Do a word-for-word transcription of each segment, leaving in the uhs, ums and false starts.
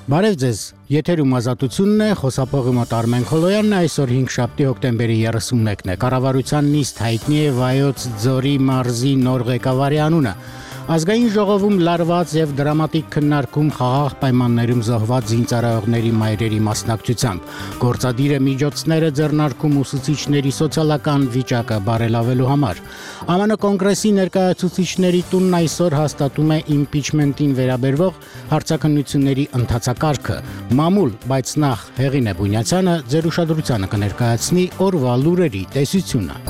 Բարև ձեզ, եթերում ազատությունն է, խոսափողի մոտ Արմեն Խոլոյանն է, այսօր հինգշաբթի հոկտեմբերի երեսունմեկն է, կառավարության նիստ հայտնի է Վայոց ձորի մարզի նոր ղեկավարի անունը։ Ազգային ժողովում լարված եւ դրամատիկ քննարկում խաղաղ պայմաններում զոհված զինծառայողների մայրերի մասնակցությամբ։ Գործադիրը միջոցները ձեռնարկում ուսուցիչների սոցիալական վիճակը բարելավելու համար։ ԱՄՆ կոնգրեսի ներկայացուցիչների տունն այսօր հաստատում է իմպիչմենտին վերաբերող հարցաքննությունների ընթացակարգը։ Մամուլ, բայց նախ Հեղինե Բունյացյանը ձեր ուշադրությանը կներկայացնի օրվա լուրերի տեսությունը։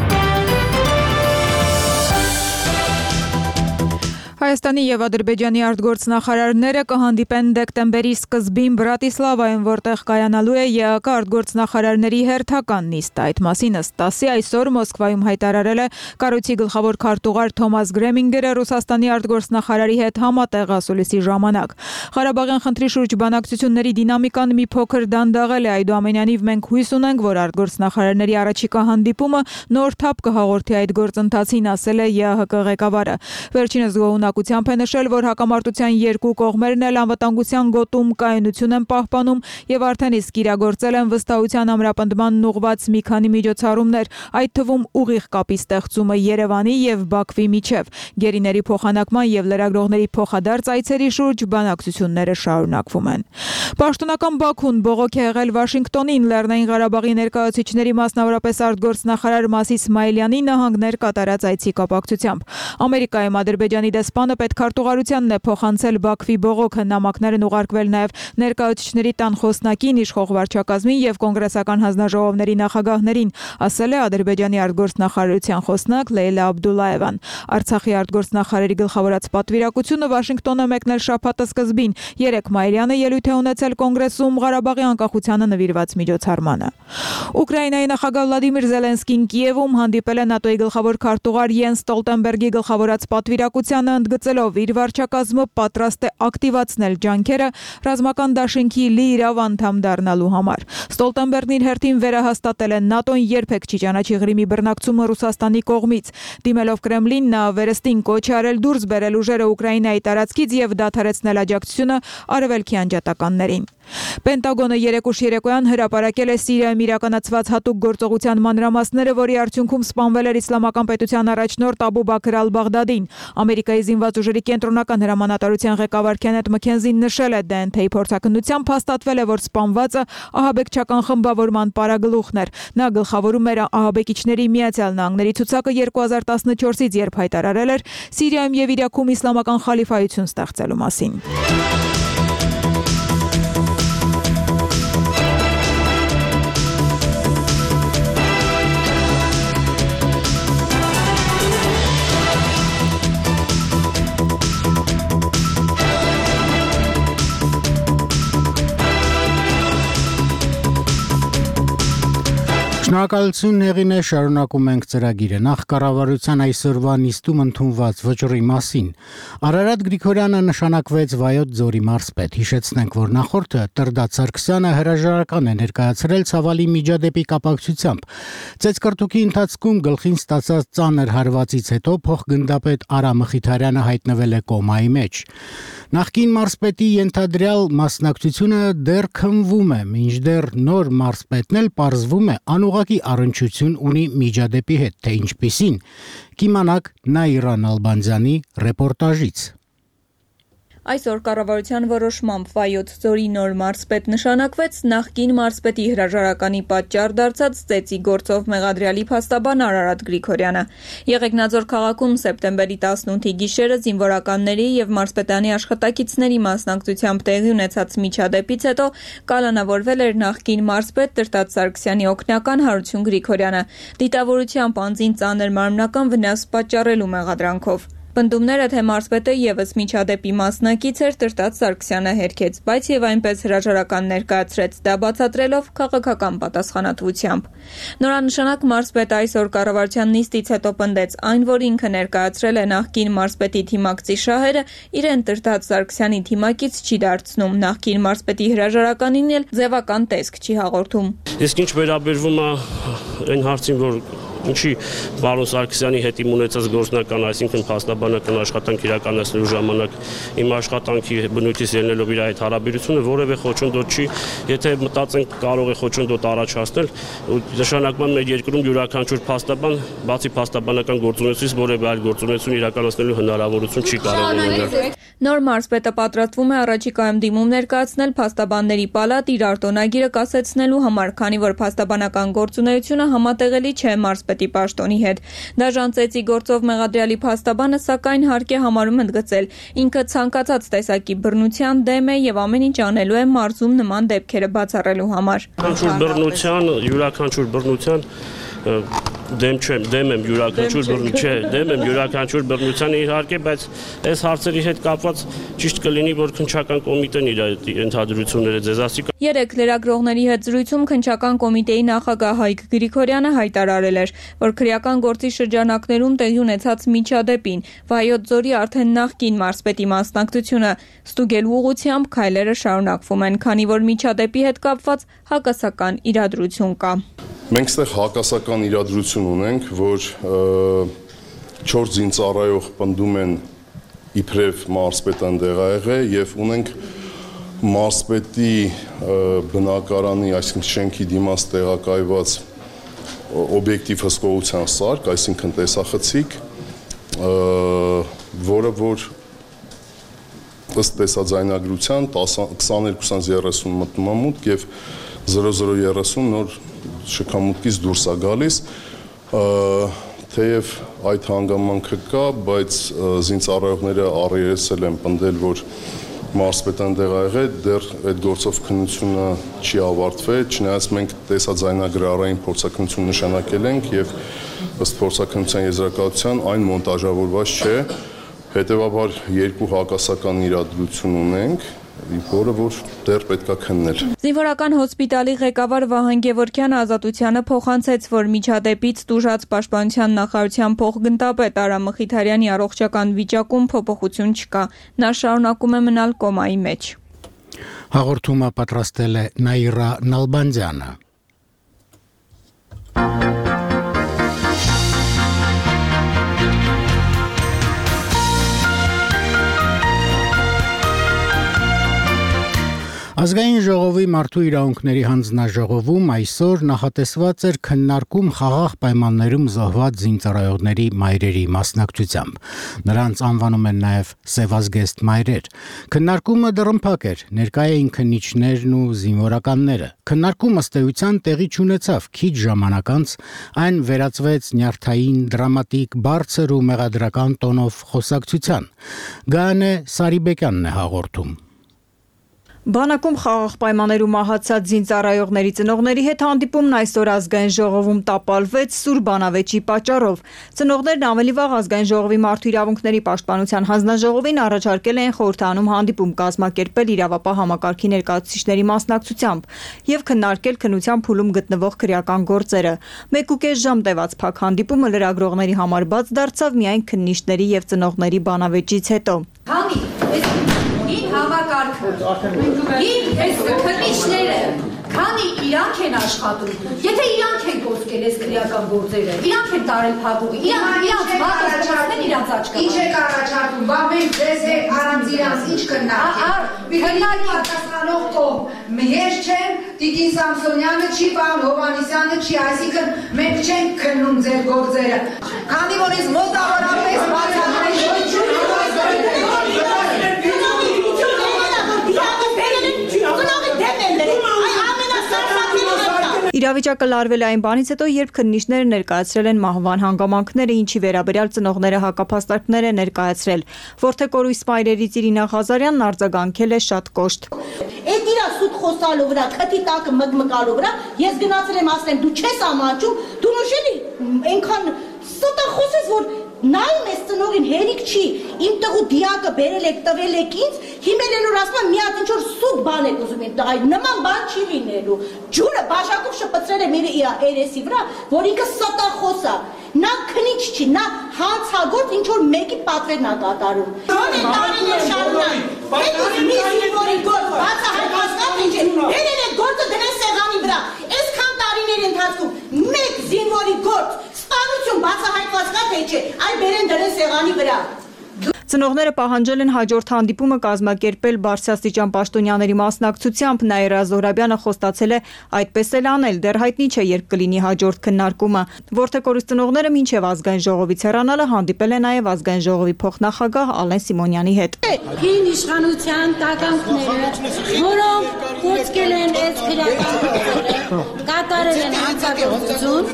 Հայաստանի եւ Ադրբեջանի արտգործնախարարները կհանդիպեն դեկտեմբերի սկզբին Բրատիսլավայում, որտեղ կայանալու է ԵԱԿ արտգործնախարարների հերթական նիստը։ Այդ մասին ըստ ՏԱՍՍ-ի այսօր Մոսկվայում հայտարարել է կառույցի գլխավոր քարտուղար Թոմաս Գրեմինգերը Ռուսաստանի արտգործնախարարի հետ համատեղ ասուլիսի ժամանակ։ Ղարաբաղյան խնդրի շուրջ բանակցությունների դինամիկան մի փոքր դանդաղել է, այդուամենայնիվ մենք հույս ունենք, որ արտգործնախարարների առաջիկա հանդիպումը նոր թափ կհաղորդի այդ գործընթացին, ասել է ԵԱՀԿ ղեկավարը։ Վերջինս գոհունակությամբ է նշել, որ հակամարտության երկու կողմերն էլ անվտանգության գոտում կայունություն են պահպանում եւ արդեն իսկ իրագործել են վստահության ամրապնդման ուղղված մի քանի միջոցառումներ, այդ թվում ուղիղ կապի ստեղծումը Երևանի եւ Բաքվի միջև, գերիների փոխանակման եւ լրագրողների փոխադարձ այցերի շուրջ բանակցությունները շարունակվում են։ Պաշտոնական Բաքուն բողոք է եղել Վաշինգտոնին Լեռնային Ղարաբաղի ներկայացուցիչների, մասնավորապես արտգործնախարար Մաս Իսմայելյանի նահանգներ կատարած այցի կապակցությամբ։ Ամերիկայում Ադրբեջանի դեսպանը պետքարտուղարությանն է փոխանցել Բաքվի բողոքը, նամակներն ուղարկվել նաև ներկայացուցիչների տան խոսնակին, իշխող վարչակազմին եւ կոնգրեսական հանձնաժողովների նախագահներին, ասել է Ադրբեջանի արտգործնախարարության խոսնակ Լեյլա Աբդուլլաևան։ Արցախի արտգործնախարարի գլխավորած պատվիրակությունը Վաշինգտոն է մեկնել շաբաթը սկզբին։ Երեկ Մայրյանը ելույթ է ունեցել կոնգրեսում Ղարաբաղի անկախությանը նվիրված միջոցառմանը։ Ուկրաինայի նախագահ Վլադիմիր Զելենսկին Կիևում հանդիպել է ՆԱՏՕ-ի գլխավոր քարտուղար Յենս Ստոլտենբերգի գլխավորած պատվիրակությանը, ընդգծելով իր վարչակազմը պատրաստ է ակտիվացնել ջանքերը ռազմական դաշինքի լիիրավ անդամ դառնալու համար։ Ստոլտենբերգն իր հերթին վերահաստատել է ՆԱՏՕ-ն երբեք չի ճանաչի Ղրիմի բռնակցումը Ռուսաստանի կողմից։ Դիմելով Կրեմլին, նա վերստին կոչ է արել դուրս բերել ուժերը Ուկրաինայի տարածքից եւ դադարեցնել աջակցությունը արևելքի անջատականներին։ Պենտագոնը երեկ ուշ երեկոյան հրապարակել է Սիրիայում իրականացված հատուկ գործողության մանրամասները, որի արդյունքում սպանվել էր Իսլամական պետության առաջնորդ Աբու Բաքր ալ-Բաղդադին։ Ամերիկայի զինված ուժերի կենտրոնական հրամանատարության ղեկավար Քենեթ Մքենզին նշել է դե էն թեյ փորձաքննությամբ հաստատվել է, որ սպանվածը ահաբեկչական խմբավորման պարագլուխն էր։ Նա գլխավորում էր ահաբեկիչների Միացյալ Նահանգների ցուցակը երկու հազար տասնչորսից, երբ հայտարարել էր Սիրիայում եւ Իրաքում իսլամական խալիֆայություն ստեղծելու մասին։ Շնորհակալություն Հեղինե, շարունակում ենք ծրագիրը։ Նախ կառավարության այսօրվա նիստում ընդունված վճռի մասին։ Արարատ Գրիգորյանը նշանակվեց Վայոց ձորի մարզպետ։ Հիշեցնենք, որ նախորդը Տրդատ Սարգսյանը հրաժարական է ներկայացրել ցավալի միջադեպի կապակցությամբ։ Ծեծկռտուքի ընթացքում գլխին ստացած ծանր հարվածից հետո փոխգնդապետ Արա Մխիթարյանը հայտնվել է կոմայի մեջ։ Նախկին մարզպետի ենթադրյալ մասնակցությունը դեռ քննվում է, մինչդեռ նոր մարզպետն էլ պարզվում է անուղղակի առնչություն ունի միջադեպի հետ, թե ինչպիսին, կիմանաք Նաիրա Նալբանդյանի ռեպորտաժից։ Այսօր կառավարության որոշմամբ Վայոց ձորի նոր մարզպետ նշանակվեց նախկին մարզպետի հրաժարականի պատճառ դարձած ծեծի գործով մեղադրյալի փաստաբան Արարատ Գրիգորյանը։ Եղեգնաձոր քաղաքում սեպտեմբերի տասնութի գիշերը զինվորականների եւ մարզպետանի աշխատակիցների մասնակցությամբ տեղի ունեցած միջադեպից հետո կալանավորվել էր նախկին մարզպետ Տրդատ Սարգսյանի օգնական Հարություն Գրիգորյանը, դիտավորությամբ անձին ծանր մարմնական վնաս պատճառելու մեղադրանքով։ Պնդումները, թե մարզպետը ևս միջադեպի մասնակից էր, Տրդատ Սարգսյանը հերքեց, բայց եւ այնպես հրաժարական ներկայացրեց, դա բացատրելով քաղաքական պատասխանատվությամբ։ Նորանշանակ մարզպետը այսօր կառավարության նիստից հետո պնդեց այն, որ ինքը ներկայացրել է նախկին մարզպետի թիմակցի շահերը, իրեն Տրդատ Սարգսյանի թիմակից չի դարձնում, նախկին մարզպետի հրաժարականին էլ ձևական տեսք չի հաղորդում։ Իսկ ինչ վերաբերվում է այն հարցին, որ Ինչի պարոն Սարգսյանի հետ իմ ունեցած գործնական, այսինքն փաստաբանական աշխատանք իրականացնելու ժամանակ իմ աշխատանքի բնույթից ելնելով իր այդ հարաբերությունը որևէ խոչընդոտ չի, եթե մտածենք կարող է խոչընդոտ առաջացնել, նշանակման մեր երկրում յուրաքանչյուր փաստաբան, բացի փաստաբանական գործունեությունից որևէ այլ գործունեություն իրականացնելու հնարավորություն չի կարող ունենալ։ Նոր մարզպետը պատրաստվում է առաջիկայում դիմում ներկայացնել փաստաբանների պալատ իր արտոնագիրը կասեցնելու համար, քանի որ փաստաբանական գործունեությունը համատեղելի չէ մարզպետի պաշտոնի հետ։ Դաժան ծեծի գործով մեղադրյալի փաստաբանը սակայն հարկ է համարում ընդգծել, ինքը ցանկացած տեսակի բռնության դեմ է եւ ամեն ինչ անելու է մարզում նման դեպքերը բացառելու համար։ Յուրաքանչյուր բռնության, յուրաքանչյուր բռնության դեմ չեմ, դեմ եմ յուրաքանչյուր բռնություն, չէ, դեմ եմ յուրաքանչյուր բռնության իհարկե, բայց այս հարցերի հետ կապված ճիշտ կլինի, որ քննչական կոմիտեն իր ընդհանրությունները ձեզ ասի։ Երեք լրագրողների հետ զրույցում քննչական կոմիտեի նախագահ Հայկ Գրիգորյանը հայտարարել էր, որ քրեական գործի շրջանակներում տեղի ունեցած միջադեպին Վայոց ձորի արդեն նախկին մարզպետի մասնակցությունը ստուգելու ուղղությամբ քայլերը շարունակվում են, քանի որ միջադեպի հետ կապված հակասական իրադրություն կա։ Մենք ստեղ հակասական իրադրություն ունենք, որ չորս զինծառայող պնդում են իբրև մարզպետը ընդեղ ա եղել եւ ունենք մարզպետի բնակարանի, այսինքն շենքի դիմաց տեղակայված օբյեկտիվ հսկողության սարք, այսինքն տեսախցիկ, որը որ ըստ տեսաձայնագրության քսաներկու երեսուն մտնում է մուտք եւ զրո զրո երեսուն նոր շքամուտքից դուրս է գալիս, թեև այդ հանգամանքը կա, բայց զինծառայողները առերեսել են պնդել, որ մարզպետը ընդեղ ա եղել, դեռ այդ գործով քննությունը չի ավարտվել, չնայած մենք տեսաձայնագրարային փորձաքննություն նշանակել ենք եւ ըստ փորձաքննության եզրակացության այն մոնտաժավորված չէ, հետեւաբար երկու հակասական իրադրություն ունենք, որը որ դեռ պետք է քննել։ Զինվորական հոսպիտալի ղեկավար Վահան Գևորգյանը Ազատությանը փոխանցեց, որ միջադեպից տուժած Պաշտպանության նախարարության փոխգնդապետ Արամ Մխիթարյանի առողջական վիճակում փոփոխություն չկա։ Նա շարունակում է մնալ կոմայի մեջ։ Հաղորդումը պատրաստել է Նաիրա Նալբանդյանը։ Ազգային ժողովի մարդու իրավունքների հանձնաժողովում այսօր նախատեսված էր քննարկում խաղաղ պայմաններում զոհված զինծառայողների մայրերի մասնակցությամբ։ Նրանց անվանում են նաև սևազգեստ մայրեր։ Քննարկումը դռնփակ էր, ներկա էին քննիչներն ու զինվորականները։ Քննարկումը ըստ էության տեղի չունեցավ, քիչ ժամանակ անց այն վերածվեց նյարդային, դրամատիկ, բարձր ու մեղադրական տոնով խոսակցության։ Գայանե Սարիբեկյանն է հաղորդում։ Բանակում խաղաղ պայմաններում մահացած զինծառայողների ծնողների հետ հանդիպումն այսօր ազգային ժողովում տապալվեց սուր բանավեճի պատճառով։ Ծնողներն ավելի վաղ ազգային ժողովի մարդու իրավունքների պաշտպանության հանձնաժողովին առաջարկել են խորհրդանում հանդիպում կազմակերպել իրավապահ համակարգի ներկայացուցիչների մասնակցությամբ եւ քննարկել քննության փուլում գտնվող քրեական գործերը։ Մեկ ու կես ժամ տևած փակ հանդիպումը լրագրողների համար բաց դարձավ միայն քննիչների եւ ծնողների բանավեճից հետո։ Համակարգը։ Իմ այս քննիչները, քանի իրանք են աշխատում, եթե իրանք են գործել այս քրեական գործերը, իրանք են տարել փակուղի, իրանք իրանք մատուցել իրանք աչքա։ Ինչ եք առաջարկում, բա մենք ձեզ հետ առանց իրանք ինչ քննարկենք։ Քննարկի պատասխանող կողմ ես չեմ, Տիկին Սամսոնյանը չի, պարոն Հովհաննիսյանը չի, այսինքն մենք չենք քննում ձեր գործերը։ Քանի որ ես մոտավորապես բացատրել Իրավիճակը լարվել է այն բանից հետո, երբ քննիչները ներկայացրել են մահվան հանգամանքները, ինչի վերաբերյալ ծնողները հակափաստարկներ են ներկայացրել։ Որթեկորույս մայրերից Իրինա Ղազարյանն արձագանքել է շատ կոշտ։ Այդ իրա սուտ խոսալու վրա, քթի տակը մգմգալու վրա, ես գնացել եմ ասել, դու չես ամաչում, դու նշելի այնքան ստախոսես, որ նայում ես ծնողին հերիք չի, իմ տղու դիակը բերել եք, տվել եք ինձ, հիմել են որ ասում եմ մի հատ ինչ-որ սուտ բան եք ուզում եք տղայի, նման բան չի լինելու։ Ջուրը բաժակով շպցրել է մեր երեսի վրա, որ ինքը ստախոս է, նա քնիչ չի, նա հանցագործ ինչ-որ մեկի պատվերն է կատարում։ Ո՞ն է տարիներ շարունակ, այդ ուզում մի զինվորի գործ, բացահայտված ինչ է, բերել եք գործը դրել սեղանի վրա, այսքան տարիների ընթացքում մեկ զինվորի գործ Գործընկերները պահանջել են հաջորդ հանդիպումը կազմակերպել բարձրաստիճան պաշտոնյաների մասնակցությամբ, Նաիրա Զոհրաբյանը խոստացել է այդպես էլ անել, դեռ հայտնի չէ երբ կլինի հաջորդ քննարկումը։ Որթե կորուստընողները մինչև ազգային ժողովից հեռանալը հանդիպել են նաև ազգային ժողովի փոխնախագահ Ալեն Սիմոնյանի հետ։ Հին իշխանության տականքները, որոնք կոչկել են այս քրեական կատարել են հանցագործություն,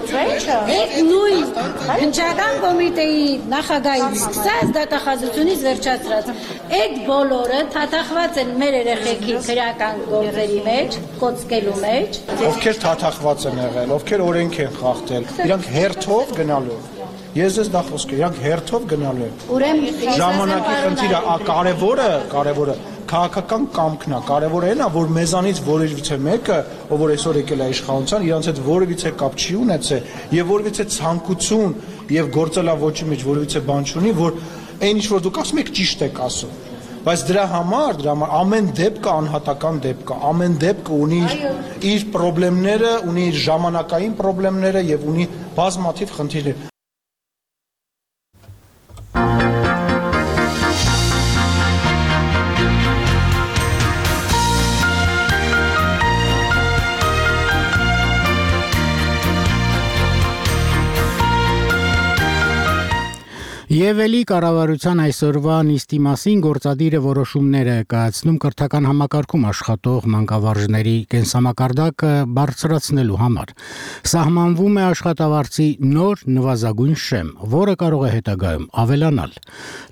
այդ նույն հնչական կոմիտեի նախագահից սկսած դատախազությունից վերջացրած, այդ բոլորը թաթախված են մեր երեխեքի քրեական գործերի մեջ, կոչկելու մեջ։ Ովքեր թաթախված են եղել, ովքեր օրենք են խախտել, իրանք հերթով գնալու։ Ես ես դա խոսքը, իրանք հերթով գնալու են։ Ուրեմն ժամանակի խնդիրը կարևորը, կարևորը քաղաքական կամքն է, կարևորը այն է, որ մեզանից որևիցե մեկը, ով որ այսօր եկել է իշխանության, իրանց հետ որևիցե կապ չի ունեցել եւ որևիցե ցանկություն եւ գործելավոճի մեջ որևիցե բան չունի, որ այն ինչ որ դուք ասում եք ճիշտ եք ասում։ Բայց դրա համար, դրա համար ամեն դեպքը անհատական դեպք է, ամեն դեպքը ունի իր իր խնդիրները, ունի իր ժամանակային խնդիրները եւ ունի բազմաթիվ խնդիրներ։ Եվ էլի կառավարության այսօրվա նիստի մասին գործադիրը որոշումներ է կայացնում կրթական համակարգում աշխատող մանկավարժների կենսամակարդակը բարձրացնելու համար։ Սահմանվում է աշխատավարձի նոր նվազագույն շեմ, որը կարող է հետագայում ավելանալ։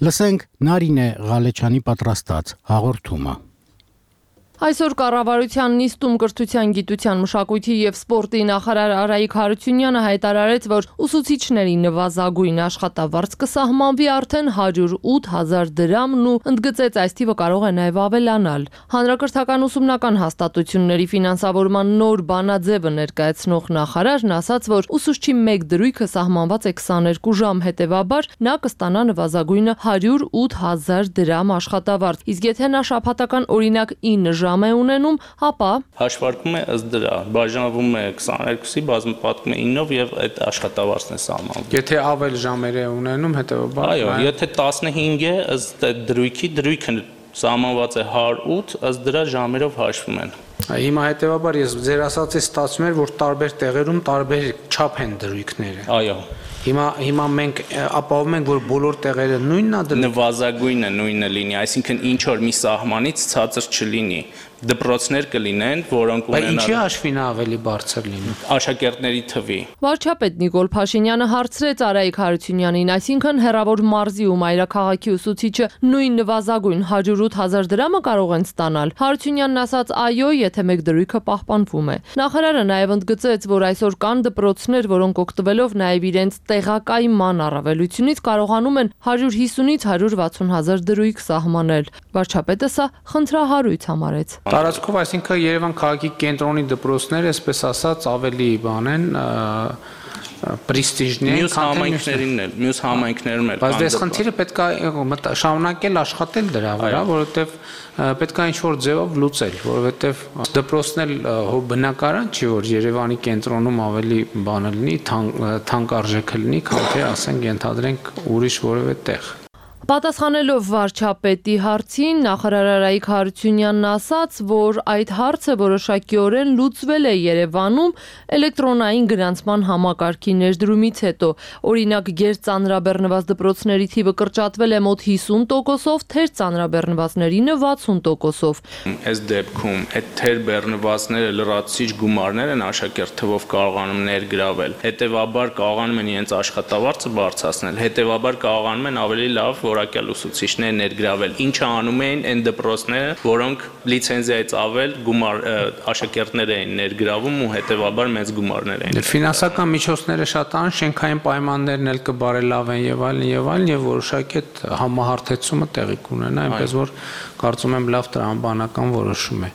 Լսենք Նարինե Ղալեչյանի պատրաստած հաղորդումը։ Այսօր կառավարության նիստում կրթության, գիտության, մշակույթի եւ սպորտի նախարար Արայիկ Հարությունյանը հայտարարեց, որ ուսուցիչների նվազագույն աշխատավարձ կսահմանվի արդեն հարյուր ութ հազար դրամն ու ընդգծեց այս թիվը կարող է նաեւ ավելանալ։ Հանրակրթական ուսումնական հաստատությունների ֆինանսավորման նոր բանաձևը ներկայացնող նախարարն ասաց, որ ուսուցչի մեկ դրույքը սահմանված է քսաներկու ժամ, հետեւաբար նա կստանա նվազագույնը հարյուր ութ հազար դրամ աշխատավարձ, իսկ եթե նա շաբաթական օրինակ ինը ժամ է ունենում, ապա հաշվարկում է ըստ դրա, բաժանվում է քսաներկուսի, բազմապատկում է ինով եւ այդ աշխատավարձն է սահմանվում։ Եթե ավել ժամեր է ունենում, հետեւաբար այո, եթե տասնհինգ է, ըստ այդ դրույքի, դրույքը սահմանված է հարյուր ութ, ըստ դրա ժամերով հաշվում են։ Հիմա հետեւաբար ես ձեր ասածից ստացվում էր, որ տարբեր տեղերում տարբեր չափ են դրույքները։ Այո։ Հիմա հիմա մենք ապահովում ենք, որ բոլոր տեղերը նույնն է դրույք։ Նվազագույնը նույնը լինի, այսինքն ինչ որ մի սահմանից ցածր չլինի։ Դպրոցներ կլինեն, որոնք ունենալ։ Ինչի հաշվին ավելի բարձր լինի։ Աշակերտների թվի։ Վարչապետ Նիկոլ Փաշինյանը հարցրեց Արայիկ Հարությունյանին, այսինքն հեռավոր մարզի ու մայրաքաղաքի ուսուցիչը նույն նվազագույն հարյուր ութ հազար դրամը կարող են ստանալ։ Հարությունյանն ասաց այո, եթե մեկ դրույքը պահպանվում է։ Նախարարը նաև ընդգծեց, որ այսօր կան դպրոցներ, որոնք օգտվելով նաև իրենց տեղակայման առավելությունից կարողանում են հարյուր հիսունից հարյուր վաթսուն հազար դրույք սահմանել։ Վարչապետը սա խնդրահարույց համարեց։ Տարածքով, այսինքն Երևան քաղաքի կենտրոնի դպրոցները, այսպես ասած, ավելի բան են, պրեստիժնի են, մյուս համայնքներին էլ, մյուս համայնքներում էլ։ Բայց դες խնդիրը պետք է շարունակել աշխատել դրա վրա, որովհետև պետք է ինչ-որ ձևով լուծել, որովհետև դպրոցն էլ բնակարան չի, որ Երևանի կենտրոնում ավելի բանը լինի, թանկարժեքը լինի, քան թե ասենք ենթադրենք ուրիշ որևէ տեղ։ Պատասխանելով վարչապետի հարցին, նախարար Արայիկ Հարությունյանն ասաց, որ այդ հարցը որոշակիորեն լուծվել է Երևանում էլեկտրոնային գրանցման համակարգի ներդրումից հետո։ Օրինակ, գերծանրաբեռնված դպրոցների թիվը կրճատվել է մոտ հիսուն տոկոսով, թերծանրաբեռնվածներինը վաթսուն տոկոսով։ Այս դեպքում այդ թերբեռնվածները լրացուցիչ գումարներ են աշակերտ թվով կարողանում ներգրավել։ Հետևաբար կարողանում են իրենց աշխատավարձը բարձրացնել։ Հետևաբար կարողանում են ավելի լավ որակյալ ուսուցիչներ ներգրավել, ինչը անում էին այն դպրոցները, որոնք լիցենզիայից ավել գումար աշակերտներ էին ներգրավում ու հետևաբար մեծ գումարներ էին։ Ֆինանսական միջոցները շատ են, շենքային պայմաններն էլ կբարելավեն եւ այլն եւ այլն եւ որոշակի այդ համահարթեցումը տեղի կունենա, այնպես որ կարծում եմ լավ տրամաբանական որոշում է։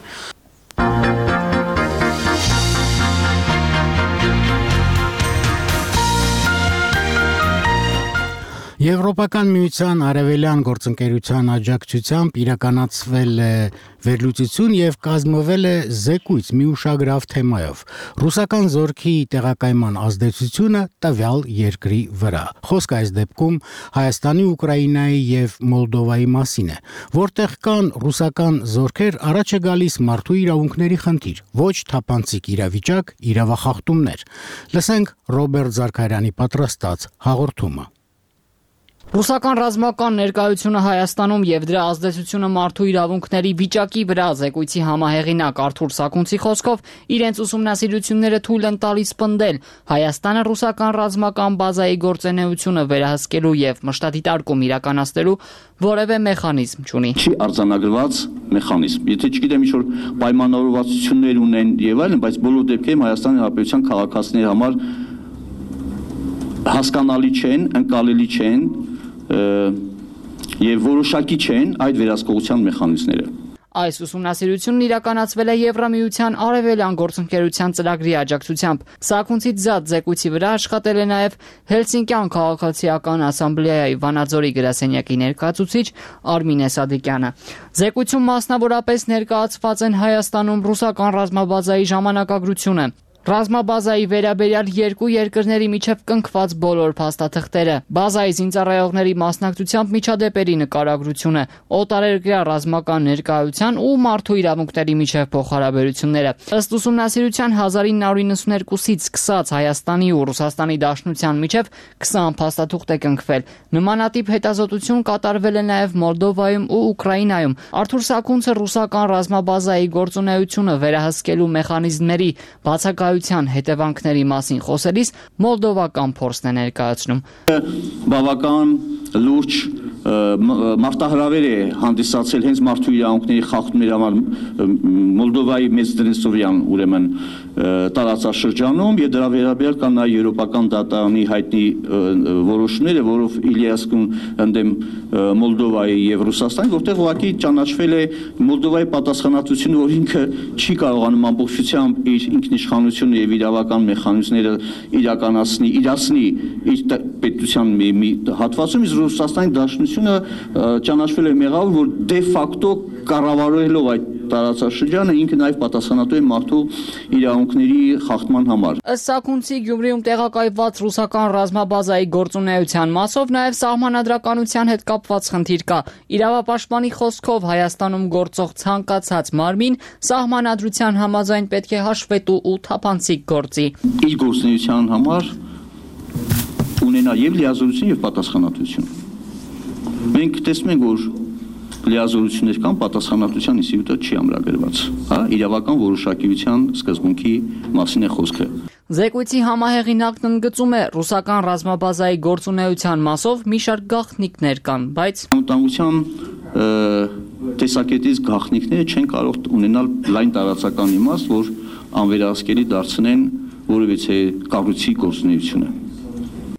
Եվրոպական միության արևելյան գործընկերության աջակցությամբ իրականացվել է վերլուծություն եւ կազմվել է զեկույց մի ուշագրավ թեմայով՝ ռուսական զորքի տեղակայման ազդեցությունը տվյալ երկրի վրա։ Խոսքը այս դեպքում Հայաստանի, Ուկրաինայի եւ Մոլդովայի մասին է, որտեղ կան ռուսական զորքեր, առաջ է գալիս մարդու իրավունքների խնդիր, ոչ թափանցիկ իրավիճակ, իրավախախտումներ։ Լսենք Ռոբերտ Զարքարյանի պատրաստած հաղորդումը։ Ռուսական ռազմական ներկայությունը Հայաստանում եւ դրա ազդեցությունը մարդու իրավունքների վիճակի վրա զեկույցի համահեղինակ Արթուր Սաքունցի խոսքով իրենց ուսումնասիրությունները թույլ են տալիս պնդել Հայաստանը ռուսական ռազմական բազայի գործունեությունը վերահսկելու եւ մշտադիտարկում իրականացնելու որևէ մեխանիզմ չունի։ Չի արձանագրված մեխանիզմ։ Եթե չգիտեմ ինչ որ պայմանավորվածություններ ունեն եւ այլն, բայց բոլոր դեպքերում Հայաստանի Հանրապետության քաղաքացիների համար հասկանալի չեն, ընկալելի չեն եւ որոշակի չեն այդ վերահսկողության մեխանիզմները։ Այս ուսումնասիրությունն իրականացվել է Եվրամիության արևելյան գործընկերության ծրագրի աջակցությամբ։ Սաքունցից զատ զեկույցի վրա աշխատել է նաև Հելսինկյան քաղաքացիական ասամբլեայի Վանաձորի գրասենյակի ներկայացուցիչ Արմինե Սադիկյանը։ Զեկույցում մասնավորապես ներկայացված են Հայաստանում ռուսական ռազմաբազայի ժամանակագրությունը, ռազմաբազայի վերաբերյալ երկու երկրների միջև կնքված բոլոր փաստաթղթերը, բազայի զինծառայողների մասնակցությամբ միջադեպերի նկարագրությունը, օտարերկրյա ռազմական ներկայության ու մարդու իրավունքների միջև փոխհարաբերությունները։ Ըստ ուսումնասիրության հազար ինը հարյուր նվեցունից սկսած Հայաստանի ու Ռուսաստանի Դաշնության միջև քսան փաստաթուղթ է կնքվել։ Նմանատիպ հետազոտություն կատարվել է նաև Մոլդովայում ու Ուկրաինայում։ Արթուր Սաքունցը ռուսական ռազմաբազայի գործունեությունը վերահսկելու մեխանիզմների բացակայության հետևանքների մասին խոսելիս մոլդովական փորձն է ներկայացնում։ Բավական լուրջ մարտահրավեր է հանդիսացել հենց մարդու իրավունքների խախտումների համար Մոլդովայի Մեծդնեսովյան ուրեմն տարածաշրջանում եւ դրա վերաբերյալ կան նաեւ եվրոպական դատարանի հայտնի որոշումները, որով Իլիասկուն ընդդեմ Մոլդովայի եւ Ռուսաստանի, որտեղ ուղղակի ճանաչվել է Մոլդովայի պատասխանատվությունը, որ ինքը չի կարողանում ամբողջությամբ իր ինքնիշխանությունը եւ իրավական մեխանիզմները իրականացնի, իրացնի իր պետության մի, մի հատվածում, իսկ Ռուսաստանի Դաշնությունը ճանաչվել է մեղավոր, որ դե ֆակտո կառավարելով այդ տարածաշրջանը ինքը նաև պատասխանատու է մարդու իրավունքների խախտման համար։ Ըստ Սաքունցի Գյումրիում տեղակայված ռուսական ռազմաբազայի գործունեության մասով նաև սահմանադրականության հետ կապված խնդիր կա։ Իրավապաշտպանի խոսքով Հայաստանում գործող ցանկացած մարմին սահմանադրության համաձայն պետք է հաշվետու ու թափանցիկ գործի։ Իր գործունեության համար ունենա եւ լիազորություն եւ պատասխանատվություն։ Մենք տեսնում ենք, որ լիազորություններ կան, պատասխանատվության ինստիտուտը չի ամրագրված, հա, իրավական որոշակիության սկզբունքի մասին է խոսքը։ Զեկույցի համահեղինակն ընդգծում է ռուսական ռազմաբազայի գործունեության մասով մի շարք գաղտնիքներ կան, բայց անվտանգության տեսակետից գաղտնիքները չեն կարող ունենալ լայն տարածական իմաստ, որ անվերահսկելի դարձնեն որևիցե կառույցի գործունեությունը։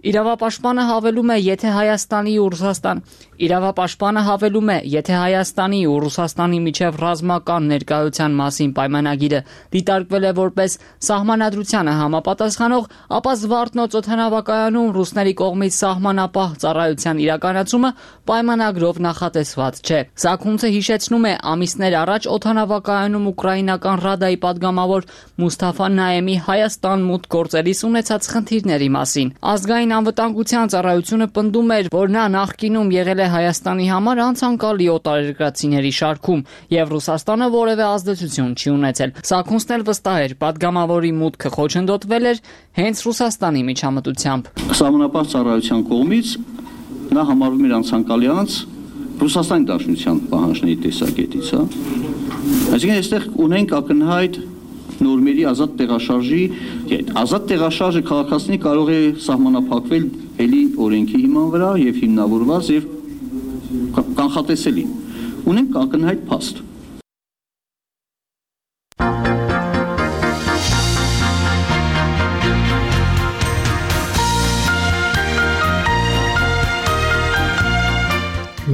Իրավապաշտպանը հավելում է, եթե Հայաստանի ու Ռուսաստան Իրավապաշտպանը հավելում է, եթե Հայաստանի ու Ռուսաստանի միջև ռազմական ներկայության մասին պայմանագիրը դիտարկվել է որպես սահմանադրությանը համապատասխանող, ապա Զվարթնոց օդանավակայանում ռուսների կողմից սահմանապահ ծառայության իրականացումը պայմանագրով նախատեսված չէ։ Սաքունցը հիշեցնում է ամիսներ առաջ օդանավակայանում ուկրաինական Ռադայի падգամավոր Մուսթաֆա Նայեմի Հայաստան մուտք գործելիս ունեցած խնդիրների մասին։ Ազգային անվտանգության ծառայությունը պնդում էր, որ նա նախկինում եղել է Հայաստանի համար անցանկալի օտարերկրացիների շարքում եւ Ռուսաստանը որևէ ազդեցություն չի ունեցել։ Սաքունցն էլ վստահ էր, падգամավորի մուտքը խոչընդոտվել էր հենց Ռուսաստանի միջամտությամբ։ Սահմանապահ ծառայության կողմից նա համարվում էր անցանկալի անց Ռուսաստանի Դաշնության պահանջների տեսակետից, հա։ Այսինքն այստեղ ունենք ակնհայտ նորմերի ազատ տեղաշարժի, ազատ տեղաշարժը քաղաքացիների կարող է սահմանափակվել էլի օրենքի հիման վրա եւ հիմնավորված եւ կանխատեսելի։ Ունենք ակնհայտ փաստ։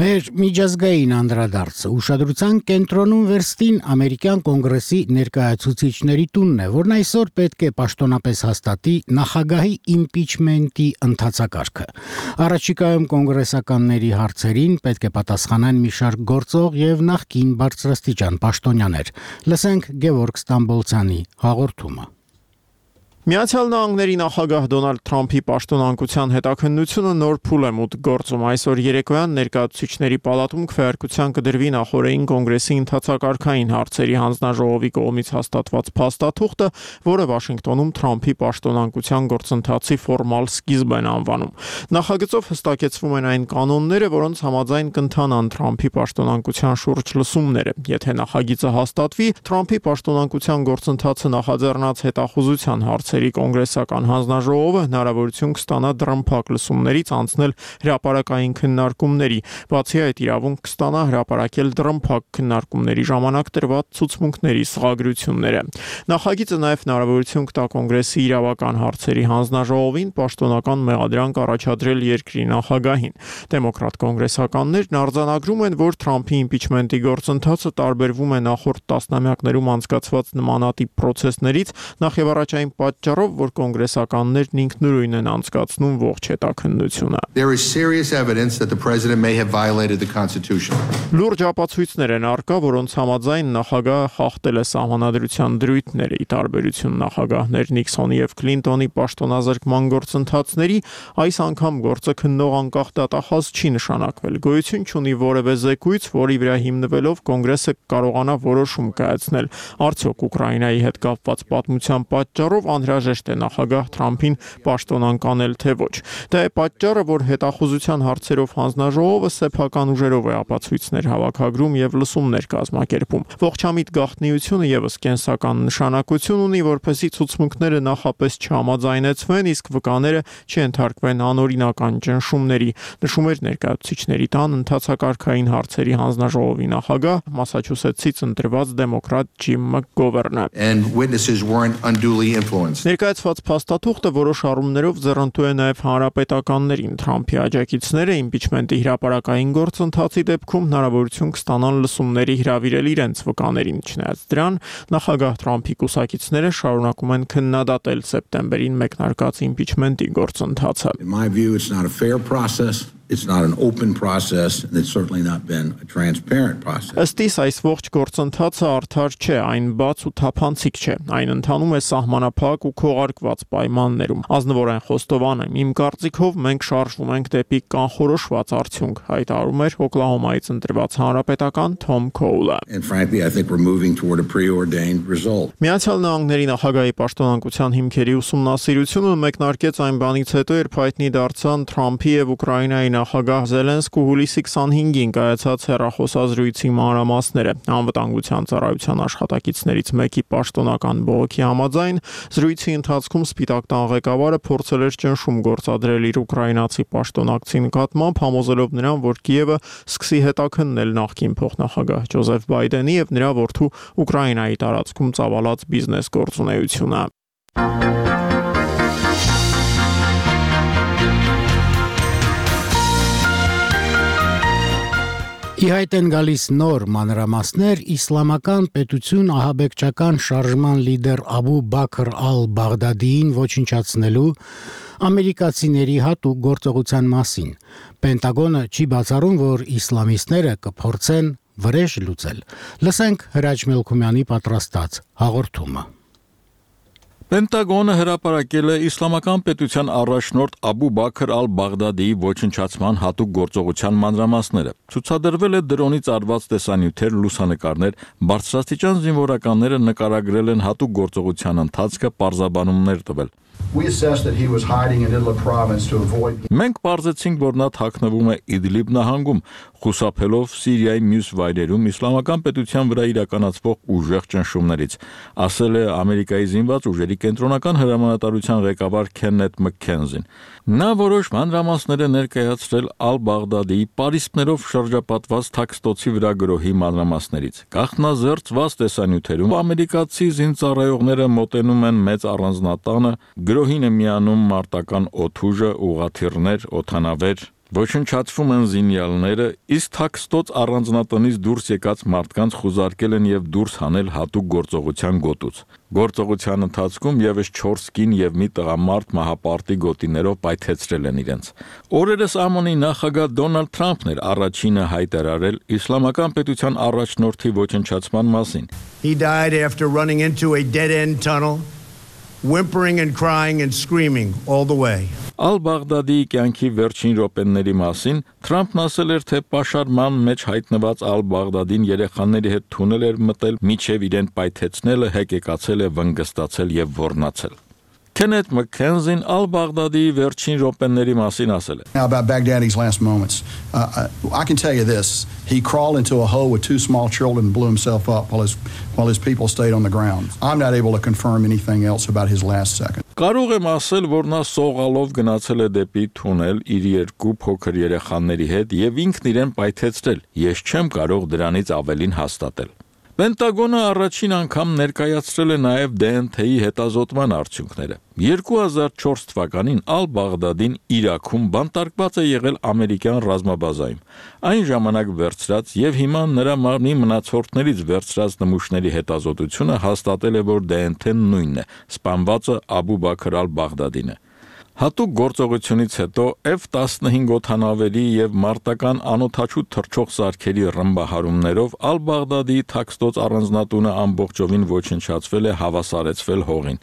Մեր Մեր միջազգային անդրադարձը ուշադրության կենտրոնում վերստին ամերիկյան կոնգրեսի ներկայացուցիչների տունն է, որն այսօր պետք է պաշտոնապես հաստատի նախագահի իմպիչմենտի ընթացակարգը։ Առաջիկայում կոնգրեսականների հարցերին պետք է պատասխանեն մի շարք գործող եւ նախկին բարձրաստիճան պաշտոնյաներ։ Լսենք Գևորգ Ստամբոլցյանի հաղորդումը։ Միացյալ Նահանգների նախագահ Դոնալդ Թրամփի պաշտոնանկության հետաքննությունը նոր փուլ է մուտք գործում։ Այսօր երեկոյան ներկայացուցիչների պալատում քվեարկության կդրվի նախորդային կոնգրեսի ընթացակարգային հարցերի հանձնաժողովի կողմից հաստատված փաստաթուղթը, որը Վաշինգտոնում Թրամփի պաշտոնանկության գործընթացի ֆորմալ սկիզբ են անվանում։ Նախագծով հստակեցվում են այն կանոնները, որոնց համաձայն կընթանան Թրամփի պաշտոնանկության շուրջ լսումները։ Եթե նախագիծը հաստատվի, Թրամփի պաշտոնանկության գործընթացը նախաձեռնած հետախուզության հարց կոնգրեսական հանձնաժողովը հնարավորություն կստանա դրամփակ լսումներից անցնել հրապարակային քննարկումների, բացի այդ իրավունք կստանա հրապարակել դրամփակ քննարկումների ժամանակ տրված ցուցմունքների սղագրությունները։ Նախագիծը նաև հնարավորություն կտա կոնգրեսի իրավական հարցերի հանձնաժողովին պաշտոնական մեղադրանք առաջադրել երկրի նախագահին։ Դեմոկրատ կոնգրեսականներն արձանագրում են, որ Թրամփի իմպիչմենտի գործընթացը տարբերվում է նախորդ տասնամյակներում անցկացված նմանատիպ պրոցեսներից, նախևառաջ այն պատճառով, որ կոնգրեսականներն ինքնուրույն են անցկացնում ողջ հետաքննությունը։ There is serious evidence that the president may have violated the Constitution. Լուրջ ապացույցներ են առկա, որոնց համաձայն նախագահը խախտել է սահմանադրության դրույթները, ի տարբերություն նախագահներ Նիքսոնի եւ Քլինտոնի պաշտոնազրկման գործընթացների, այս անգամ գործը քննող անկախ դատախազ չի նշանակվել։ Գոյություն չունի որևէ զեկույց, որի վրա հիմնվելով կոնգրեսը կարողանա որոշում կայացնել։ Արդյոք Ուկրաինայի հետ կապված պատմության պատճառով անհրաժեշտ է նախագահ Թրամփին պաշտոնանկանել թե ոչ։ Դա է պատճառը, որ հետախուզության հարցերով հանձնաժողովը սեփական ուժերով է ապացույցներ հավաքագրում եւ լսումներ կազմակերպում։ Ողջամիտ գաղտնիությունը եւս կենսական նշանակություն ունի, որպեսզի ցուցմունքները նախապես չհամաձայնեցվեն, իսկ վկաները չընթարկվեն անօրինական ճնշումների, նշում էր ներկայացուցիչների տան ընթացակարգային հարցերի հանձնաժողովի նախագահ Մասաչուսեթսից ընտրված դեմոկրատ Ջիմ Մակգովերնը։ And witnesses weren't unduly influenced. Ներկայացված փաստաթուղթը որոշ առումներով ձեռնտու է նաև հանրապետականներին։ Թրամփի աջակիցները իմպիչմենտի հրապարակային գործընթացի դեպքում հնարավորություն կստանան լսումների հրավիրել իրենց վկաներին։ Չնայած դրան, նախագահ Թրամփի կուսակիցները շարունակում են քննադատել սեպտեմբերին մեկնարկած իմպիչմենտի գործընթացը։ In my view, it's not a fair process. It's not an open process, and it's certainly not been a transparent process. Ըստիս այս ողջ գործընթացը արդար չէ, այն բաց ու թափանցիկ չէ։ Այն ընթանում է սահմանափակ ու քողարկված պայմաններում։ Ազնվորեն խոստովան եմ, իմ կարծիքով մենք շարժվում ենք դեպի կանխորոշված արդյունք, հայտարարում էր Օկլահոմայից ընտրված հանրապետական Թոմ Քոուլը։ And frankly, I think we're moving toward a preordained result. Միացյալ Նահանգների նախագահի պաշտոնանկության հիմքերի ուսումնասիրությունը մեկնարկեց այն բանից հետո, երբ հայտնի դարձան Թրամփի եւ Ուկրաինայի նախագահ Զելենսկու հուլիսի քսանհինգին կայացած հեռախոսազրույցի մանրամասները։ Անվտանգության ծառայության աշխատակիցներից մեկի պաշտոնական բողոքի համաձայն զրույցի ընթացքում Սպիտակ տան ղեկավարը փորձել էր ճնշում գործադրել իր ուկրաինացի պաշտոնակցի նկատմամբ, համոզելով նրան, որ Կիևը սկսի հետաքննել նախկին փոխնախագահ Ջոզեֆ Բայդենի եւ նրա որդու Ուկրաինայի տարածքում ծավալած բիզնես գործունեությունը։ Ի հայտ են գալիս նոր մանրամասներ իսլամական պետություն ահաբեկչական շարժման լիդեր Աբու Բաքր ալ-Բաղդադիին ոչնչացնելու ամերիկացիների հատուկ գործողության մասին։ Պենտագոնը չի բացառում, որ իսլամիստները կփորձեն վրեժ լուծել։ Լսենք Հրաչ Մելքումյանի պատրաստած հաղորդումը։ Պենտագոնը հրապարակել է իսլամական պետության առաջնորդ Աբու Բաքր ալ-Բաղդադիի ոչնչացման հատուկ գործողության մանրամասները։ Ցուցադրվել է դրոնից արված տեսանյութեր, լուսանկարներ, բարձրաստիճան զինվորականները նկարագրել են հատուկ գործողության ընթացքը, պարզաբանումներ տվել։ We assessed that he was hiding in Idlib province to avoid Մենք պարզեցինք, որ նա թաքնվում է Իդլիբ նահանգում, խուսափելով Սիրիայի մյուս վայրերում իսլամական պետության վրա իրականացվող ուժեղ ճնշումներից, ասել է Ամերիկայի զինված ուժերի կենտրոնական հրամանատարության ղեկավար Քեննեթ Մքքենզին։ Նա որոշ մանրամասներ է ներկայացրել Ալ-Բաղդադիի պարիսպներով շրջապատված թաքստոցի վրա գրոհի մանրամասներից։ Գաղտնազերծված տեսանյութերում ամերիկացի զինծառայողները մոտենում են մեծ առանձնատանը, գրոհին է միանում մարտական օդուժը, ուղղաթիռներ, օդանավեր, Ոչնչացվում են զինյալները, իսկ թաքստոց առանձնատնից դուրս եկած մարդկանց խուզարկել են եւ դուրս հանել հատուկ գործողության գոտուց։ Գործողության ընթացքում եւս չորս կին եւ մի տղամարդ մահապարտի գոտիներով պայթեցրել են իրենց։ Օրերս ԱՄՆ-ի նախագահ Դոնալդ Թրամփն էր առաջինը հայտարարել իսլամական պետության առաջնորդի ոչնչացման մասին։ He died after running into a dead-end tunnel, whimpering and crying and screaming all the way. Ալ-Բաղդադիի կյանքի վերջին րոպեների մասին Թրամփն ասել էր, թե պաշարման մեջ հայտնված Ալ-Բաղդադին երեխաների հետ թունել էր մտել, միջև իրեն պայթեցնելը հեկեկացել է, վնգստացել եւ ոռնացել։ Քենեթ Մաքքենզին Ալ-Բաղդադիի վերջին րոպեների մասին ասել է. Now about Baghdadi's last moments, uh, I can tell you this: he crawled into a hole with two small children and blew himself up while his while his people stayed on the ground. I'm not able to confirm anything else about his last second. Կարող եմ ասել, որ նա սողալով գնացել է դեպի թունել իր երկու փոքր երեխաների հետ եւ ինքն իրեն պայթեցրել։ Ես չեմ կարող դրանից ավելին հաստատել։ Պենտագոնը առաջին անգամ ներկայացրել է նաև դե են թեի հետազոտման արդյունքները։ երկու հազար չորս թվականին Ալ-Բաղդադին Իրաքում բանտարկված է եղել ամերիկյան ռազմաբազայում։ Այն ժամանակ վերցրած եւ հիմա նրա մարմնի մնացորդներից վերցրած նմուշների հետազոտությունը հաստատել է, որ դե են թեն նույնն է, սպանվածը Աբու Բաքր Ալ-Բաղդադին է։ Հատուկ գործողությունից հետո Էֆ տասնհինգ օդանավերի եւ մարտական անօթաչու թռչող սարքերի ռմբահարումներով Ալ-Բաղդադի թաքստոց առանձնատունը ամբողջովին ոչնչացվել է, հավասարեցվել հողին։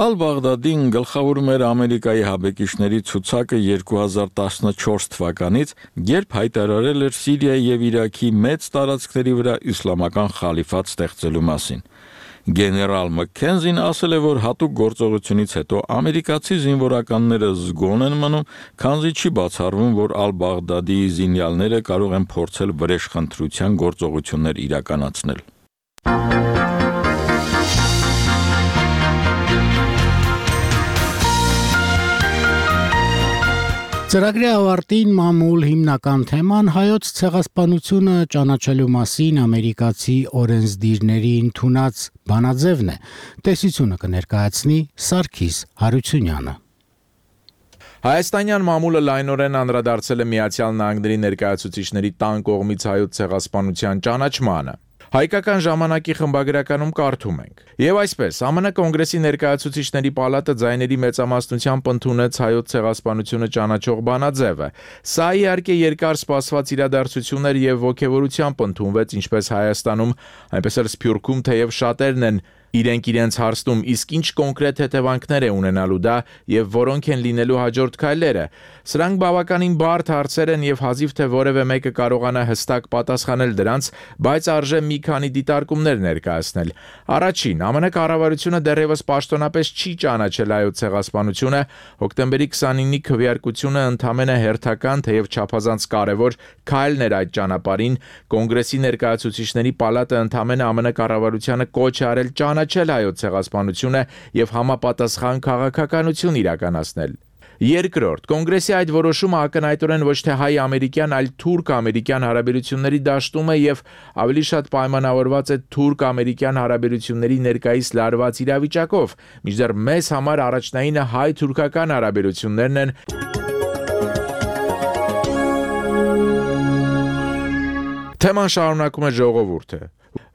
Ալ-Բաղդադին գլխավորում էր Ամերիկայի հաբեկիչների ցուցակը երկու հազար տասնչորս թվականից, երբ հայտարարել էր Սիրիայի եւ Իրաքի մեծ տարածքների վրա իսլամական խալիֆատ ստեղծելու մասին։ Գեներալ Մաքքենզին ասել է, որ հատուկ գործողությունից հետո ամերիկացի զինվորականները զգոն են մնում, քանզի չի բացառվում, որ Ալ-Բաղդադի զինյալները կարող են փորձել վրեժխնդրության գործողություններ իրականացնել։ Ծրագրի ավարտին մամուլ հիմնական թեման հայոց ցեղասպանությունը ճանաչելու մասին ամերիկացի օրենսդիրների ընդունած բանաձևն է։ Տեսությունը կներկայացնի Սարգիս Հարությունյանը։ Հայաստանյան մամուլը լայնորեն անդրադարձել է Միացյալ Նահանգների ներկայացուցիչների տան կողմից հայոց ցեղասպանության ճանաչմանը։ Հայկական ժամանակի խմբագրականում կարդում ենք. Եվ այսպես, ԱՄՆ կոնգրեսի ներկայացուցիչների պալատը ձայների մեծամասնությամբ ընդունեց հայոց ցեղասպանությունը ճանաչող բանաձևը։ Սա իհարկե երկար սպասված իրադարձություն էր եւ ողջավորությամբ ընդունվեց ինչպես Հայաստանում, այնպես էլ Սփյուռքում, թեև շատերն են իրենք իրենց հարցնում, իսկ ինչ կոնկրետ հետևանքներ է ունենալու դա եւ որոնք են լինելու հաջորդ քայլերը։ Սրանք բավականին բարդ հարցեր են եւ հազիվ թե որևէ մեկը կարողանա հստակ պատասխանել դրանց, բայց արժե մի քանի դիտարկումներ ներկայացնել։ Առաջին, ԱՄՆ կառավարությունը դեռևս պաշտոնապես չի ճանաչել հայոց ցեղասպանությունը, հոկտեմբերի քսանինի քվեարկությունը ընդամենը հերթական, թեև չափազանց կարևոր քայլն էր այդ ճանապարհին, կոնգրեսի ներկայացուցիչների պալատը ընդամենը ԱՄՆ կառավարությանը կոչ է արել ճանաչել հայոց ցեղասպանությունը եւ համապատասխան քաղաքականություն իրականացնել։ Երկրորդ, կոնգրեսի այդ որոշումը ակնհայտորեն ոչ թե հայ-ամերիկյան, այլ թուրք-ամերիկյան հարաբերությունների դաշտում է եւ ավելի շատ պայմանավորված է թուրք-ամերիկյան հարաբերությունների ներկայիս լարված իրավիճակով, մինչդեռ մեզ համար առաջնայինը հայ-թուրքական հարաբերություններն են։ Թեման շարունակում է ժողովուրդը,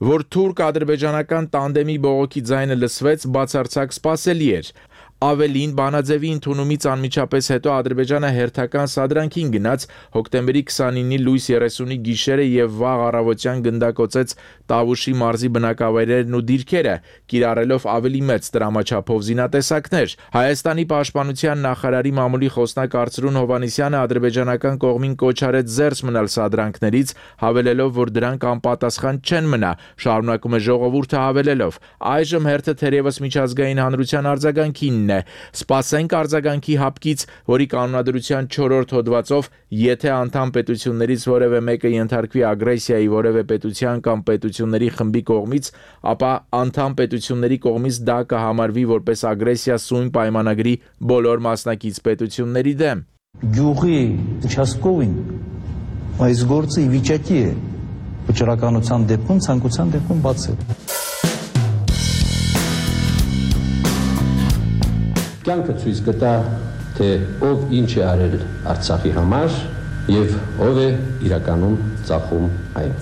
որ թուրք-ադրբեջանական տանդեմի բողոքի ձայնը լսվեց, բացարձակ սպասելի էր։ Ավելին, բանաձևի ընդունումից անմիջապես հետո Ադրբեջանը հերթական սադրանքին գնաց, հոկտեմբերի քսանինի լույս երեսունի գիշերը եւ վաղ առավոտյան գնդակոծեց Տավուշի մարզի բնակավայրերն ու դիրքերը, կիրառելով ավելի մեծ տրամաչափով զինատեսակներ։ Հայաստանի պաշտպանության նախարարի մամուլի խոսնակ Արծրուն Հովանիսյանը ադրբեջանական կողմին կոչ արեց զերծ մնալ սադրանքներից, հավելելով, որ դրանք անպատասխան չեն մնա, շարունակում է ժողովուրդը հավելելով. այժմ հերթը թերևս միջազգային հանրության արձագանքին է։ Սպասենք արձագանքի հապկից, որի կանոնադրության չորրորդ հոդվածով, եթե անդամ պետություններից որևէ մեկը ենթարկվի ագրեսիայի որևէ պետության կամ պետությունների խմբի կողմից, ապա անդամ պետությունների կողմից դա կհամարվի որպես ագրեսիա սույն պայմանագրի բոլոր մասնակից պետությունների դեմ։ Գյուղի участковին այս գործը ի վիճակի է վճռականության դեպքում, ցանկության դեպքում բացել։ Կյանքը ցույց կտա, թե ով ինչ է արել Արցախի համար եւ ով է իրականում ծախում այն։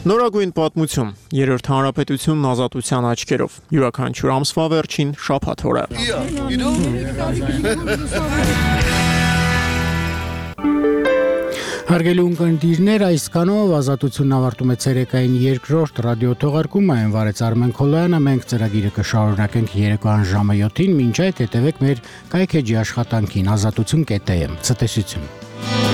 Նորագույն պատմություն, երրորդ հանրապետությունն ազատության աչքերով, յուրաքանչյուր ամսվա վերջին շաբաթ օրը։ Հարգելի ունկնդիրներ, այսքանով ազատությունն ավարտում է ցերեկային երկրորդ ռադիո թողարկումը, այն վարեց Արմեն Քոլոյանը, մենք ծրագիրը կշարունակենք երեկոյան ժամը յոթին, մինչ այդ հետևեք մեր կայքեջի աշխատանքին ազատություն կետ է էմ, ցտեսություն։